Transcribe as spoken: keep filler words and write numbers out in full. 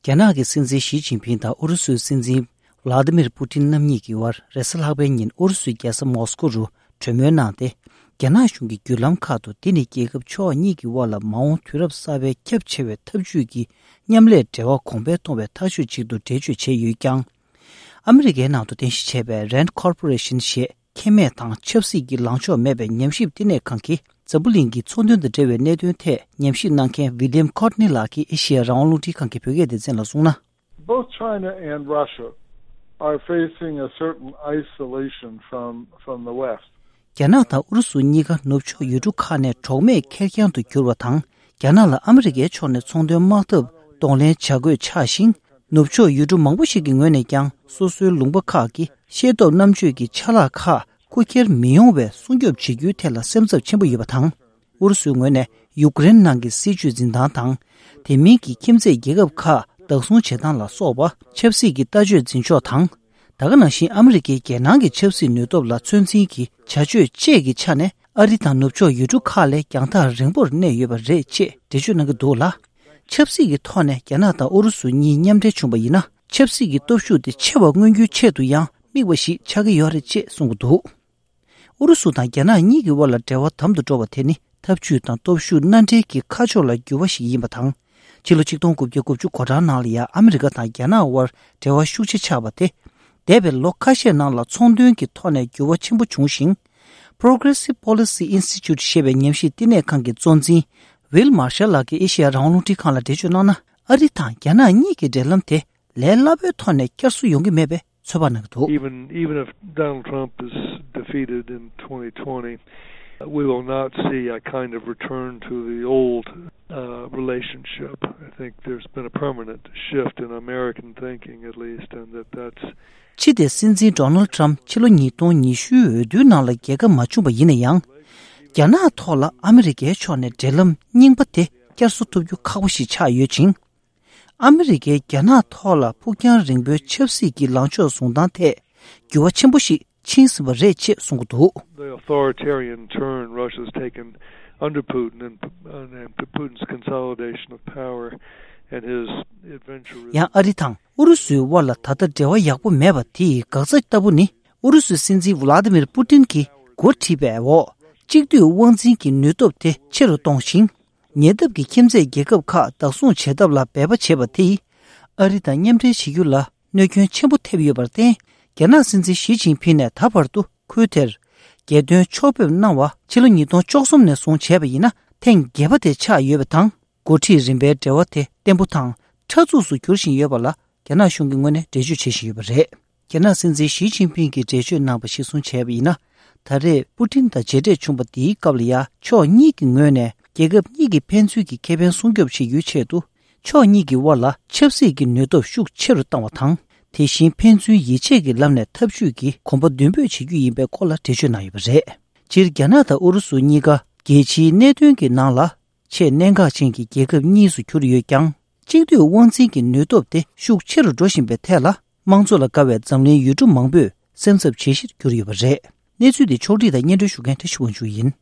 རྒྱ་ནག་གི་སྲིད་འཛིན་ཞི་ཅིན་ཕིང་དང་ཨུ་རུ་སུའི་སྲིད་འཛིན་ཝ་ལ་ཏི་མིར་པུ་ཏིན་རྣམ་གཉིས་ཀྱི་དབར་རེས་གཟའ་ལྷག་པའི་ཉིན་ཨུ་རུ་སུའི་རྒྱལ་ས་མོ་སི་ཀོ་རུ་གྲོས་མོལ་གནང་སྟེ། རྒྱ་ནག་གཞུང་གི་བརྒྱུད་ལམ་ཁག་ཏུ་འདི་ནི་རྒྱལ་ཁབ་ཕྱོགས་གཉིས་ཀྱི་དབར་ལ་མ་འོངས་དུས་རབས་གསར་པའི་ཁྱབ་ཆེ་བའི་འཐབ་ཇུས་ཀྱི་མཉམ་ལས་འབྲེལ་བ་གོང་འཕེལ་གཏོང་བའི་ཐག་གཅོད་ཅིག་ཏུ་འགྲེལ་བརྗོད་བྱས་ཡོད་ཀྱང་། ཨ་མི་རི་ཀའི་ནང་དུ་རྟེན་གཞི་བྱས་པའི་རན་ཁོར་པོ་རེ་ཤིན་ཞེས་ཁེ་མེད་དང་ཆབ་སྲིད་ཀྱི་ལངས་ཕྱོགས་མེད་པའི་ཉམས་ཞིབ་བསྟི་གནས་ཁང་གིས་འཛམ་བུ་གླིང་གི་ཚོང་དོན་དང་འབྲེལ་བའི་གནད་དོན་ཐད་ཉམས་ཞིབ་གནང་མཁན་ཝི་ལི་ཡམ་ཁོར་ནི་ལགས་ཀྱིས་ཨེ་ཤེ་ཡ་རང་དབང་རླུང་འཕྲིན་ཁང་གི་བོད་སྐད་སྡེ་ཚན་ལ་གསུངས་ན། Both China and Russia are facing a certain isolation from, from the West. རྒྱ་ནག་དང་ཨུ་རུ་སུ་གཉིས་ཀ་ནུབ་ཕྱོགས་ཡུལ་གྲུ་ཁག་ནས་གྲོགས་མེད་ཁེར་རྐྱང་དུ་གྱུར་བ་དང་། རྒྱ་ནག་ལ་ཨ་མི་རི་ཀའི་ཕྱོགས་ནས་ཚོང་དོན་དམག་འཐབ་གདོང་ལེན་བྱ་དགོས་ཆགས་ཤིང་། ནུབ་ཕྱོགས་ཡུལ་གྲུ་མང་པོ་ཞིག་གི་ངོས་ནས་ཀྱང་སོ་སོའི་ལུང་པ་ཁག་གི་ཤེས་སྟོབས་རྣམ་དཔྱོད་ཀྱི་ཆ་ལག་ཁག་རྐུ་འཁྱེར་མི་ཡོང་བའི་སྲུང་སྐྱོབ་བྱེད་རྒྱུའི་ཐད་ལ་སེམས་འཚབ་ཆེན་པོ་ཡོད་པ་དང་། ཨུ་རུ་སུའི་ངོས་ནས་ཡུཀ་རེན་ནང་གི་སྲིད་བྱུས་འཛིན་སྟངས་དང་། དེ་མིན་གྱི་ཁྱིམ་མཚེས་རྒྱལ་ཁབ་ཁག་བདག་བཟུང་བྱེད་སྟངས་ལ་སོགས་པ་ཆབ་སྲིད་ཀྱི་ལྟ་སྤྱོད་འཛིན་ཕྱོགས་དང་། ད་ག་ནང་བཞིན་ཨ་མི་རི་ཀའི་རྒྱལ་ནང་གི་ཆབ་སྲིད་ནུས་སྟོབས་ལ་ཚོད་འཛིན་གྱི་བྱ་སྤྱོད་བཅས་ཀྱི་ཆ་ནས་ཨ་རི་དང་ནུབ་ཕྱོགས་ཡུལ་གྲུ་ཁག་ལས་རྒྱང་ཐག་རིང་པོར་གནས་ཡོད་པ་རེད་ཅེས་འགྲེལ་བརྗོད་གནང་གི་འདུག་ལ། ཆབ་སྲིད་ཀྱི་ཐོག་ནས་རྒྱ་ནག་དང་ཨུ་རུ་སུ་གཉིས་མཉམ་འབྲེལ་བྱུང་བ་ཡིན་ན། ཆབ་སྲིད་ཀྱི་སྟོབས་ཤུགས་དེ་ཆེ་བ་མངོན་རྒྱུའི་ཆེད་དུ་ཡང་དམིགས་པ་ཞིག་ཆགས་ཀྱི་ཡོད་རེད་ཅེས་གསུངས་ཀྱི་འདུག་ཨུ་རུ་སུ་དང་རྒྱ་ནག་གཉིས་ཀྱི་དབར་ལ་འབྲེལ་བ་དམ་དུ་འགྲོ་བ་དེ་ནི་འཐབ་ཇུས་དང་སྟོབས་ཤུགས་སྣ་འདྲེན་གྱི་ཁ་ཕྱོགས་ལ་འགྱུར་བ་ཞིག་ཡིན་པ་དང་། ཕྱི་ལོ་ཆིག་སྟོང་དགུ་བརྒྱ་དགུ་བཅུ་གོ་གྲངས་ནང་ལ་ཡང་ཨ་མི་རི་ཀ་དང་རྒྱ་ནག་དབར་འབྲེལ་བ་ཤུགས་ཆེ་ཆགས་པ་དེ། འདས་པའི་ལོ་ཁ་ཤས་ནང་ལ་ཚོང་དོན་གྱི་ཐོག་ནས་འགྱུར་བ་ཆེན་པོ་བྱུང་ཞིང་། Progressive Policy Institute ཞེས་པའི་ཉམས་ཞིབ་བསྟི་གནས་ཁང་གི་གཙོ་འཛིན་ཝིལ་མར་ཤལ་ལགས་ཀྱིས་ཨེ་ཤེ་ཡ་རང་དབང་རླུང་འཕྲིན་ཁང་ལ་འགྲེལ་བརྗོད་གནང་ན། ཨ་རི་དང་རྒྱ་ནག་གཉིས་ཀྱི་འབྲེལ་ལམ་དེ་ལས་སླ་པོའི་ཐོག་ནས་བསྐྱར་གསོ་ཡོང་གི་མེད་པའི་ཚོད་དཔག་གནང་གི་འདུག Even, even if Donald Trump is defeated in twenty twenty, we will not see a kind of return to the old, uh, relationship. I think there's been a permanent shift in American thinking, at least, and that that's ཕྱི་དེ་སྲིད་འཛིན་ཌོ་ནལ་ཊམ་ཕྱི་ལོ་ཉིས་སྟོང་ཉི་ཤུའི་འོས་བསྡུའི་ནང་ལ་རྒྱལ་ཁ་མ་བྱུང་བ་ཡིན་ན་ཡང་། རྒྱ་ནག་ཐོག་ལ་ཨ་མི་རི་ཀའི་ཕྱོགས་ནས་འབྲེལ་ལམ་རྙིང་པ་དེ་བསྐྱར་གསོ་ཐུབ་རྒྱུ་ཁག་པོ་ཞིག་ཆགས་ཡོད་ཅིང་། ཨ་མི་རི་ཀའི་རྒྱ་ནག་ཐོག་ལ་ཕུགས་རྒྱང་རིང་པོའི་ཆབ་སྲིད་ཀྱི་ལངས་ཕྱོགས་བཟུང་སྟངས་ཐད་འགྱུར་བ་ཆེན་པོ་ཞིག་ཕྱིན་ཟིན་པ་རེད་ཅེས་གསུངས་ཀྱི་འདུག The authoritarian turn Russia's taken under Putin and, and Putin's consolidation of power and his eventual ཡང་ཨ་རི་དང་ཨུ་རུ་སུའི་དབར་ལ་ད་ལྟ་འབྲེལ་བ་ཡག་པོ་མེད་པ་དེ་ཡི་འགག་རྩ་ལྟ་བུ་ནི། ཨུ་རུ་སུའི་སྲིད་འཛིན་ཝུ་ལ་ཏི་མིར་པུ་ཏིན་གྱིས་འགོ་ཁྲིད་པའི་འོག་གཅིག་སྡུད་དབང་འཛིན་གྱི་ནུས་སྟོབས་དེ་ཆེ་རུ་གཏོང་ཞིང་། ཉེ་འདབས་ཀྱི་ཁྱིམ་མཚེས་རྒྱལ་ཁབ་ཁག་བདག་བཟུང་བྱེད་ཐབས་ལ་འབད་པ་བྱེད་པ་དེས། ཨ་རི་དང་མཉམ་འབྲེལ་བྱེད་རྒྱུ་ལ་གནོད་སྐྱོན་ཆེན་པོ་ཐེབས་ཡོད་པར་བརྟེན། རྒྱ་ནག་སྲིད་འཛིན་ཞི་ཅིན་ཕིང་ནས་ད་བར་དུ་ཁུལ་དེར་རྒྱལ་དོན་ཕྱོགས་ཕེབས་གནང་བ་ཕྱི་ལོ་ཉིས་སྟོང་བཅུ་གསུམ་ནས་བཟུང་བྱས་པ་ཡིན་ན་ཐེངས་བརྒྱད་པ་དེ་ཆགས་ཡོད་པ་དང་། འགོ་ཁྲིད་རིམ་པའི་འབྲེལ་བ་དེ་བརྟན་པོ་དང་ཕྲ་མཛུབ་སུ་འགྱུར་བཞིན་ཡོད་པ་ལ། རྒྱ་ནག་གཞུང་གི་ངོས་ནས་འགྲེལ་བརྗོད་བྱེད་བཞིན་ཡོད་པ་རེད། རྒྱ་ནག་སྲིད་འཛིན་ཞི་ཅིན་ཕིང་གིས་འགྲེལ་བརྗོད་གནང་བ་གཞིར་བཟུང་བྱས་པ་ཡིན་ན། ད་རེས་པུ་ཏིན་དང་མཇལ་འཕྲད་བྱུང་བ་འདིའི་སྐབས་ལ་ཡང་ཕྱོགས་གཉིས་ཀྱི་ངོས་ནས་རྒྱལ་ཁབ་གཉིས་ཀྱི་ཕན་ཚུན་གྱི་ཁེ་ཕན་སྲུང་སྐྱོབ་བྱེད་རྒྱུའི་ཆེད་དུ། ཕྱོགས་གཉིས་ཀྱི་དབར་ལ་ཆབ་སྲིད་ཀྱི་ནུས་སྟོབས་ཤུགས་ཆེ་རུ་བཏང་བ་དང་། དེ་བཞིན་ཕན་ཚུན་ཡིད་ཆེས་ཀྱི་ལམ་ནས་འཐབ་ཇུས་ཀྱི་གོམ་པ་མདུན་སྤོས་བྱེད་རྒྱུ་ཡིན་པའི་སྐོར་ལ་འགྲེལ་བརྗོད་གནང་ཡོད་པ་རེད། སྤྱིར་རྒྱ་ནག་དང་ཨུ་རུ་སུ་གཉིས་ཀ་རྒྱལ་སྤྱིའི་གནད་དོན་གྱི་ནང་ལ། ཆེས་གནད་འགག་ཅན་གྱི་རྒྱལ་ཁབ་གཉིས་སུ་གྱུར་ཡོད་ཀྱང་། གཅིག་སྡུད་དབང་འཛིན་གྱི་ནུས་སྟོབས་དེ་ཤུགས་ཆེ་རུ་འགྲོ་བཞིན་པའི་ཐད་ལ། དམངས་གཙོ་ལ་དགའ་བའི་འཛམ་གླིང་ཡུལ་གྲུ་མང་པོས་སེམས་འཚབ་བྱེད་གཞིར་གྱུར་ཡོད་པ་རེད། གནས་ཚུལ་འདི་ཕྱོགས་སྒྲིག་དང་སྙན་སྒྲོན་ཞུ་མཁན་བཀྲ་ཤིས་དབང་ཕྱུག་ཡིན།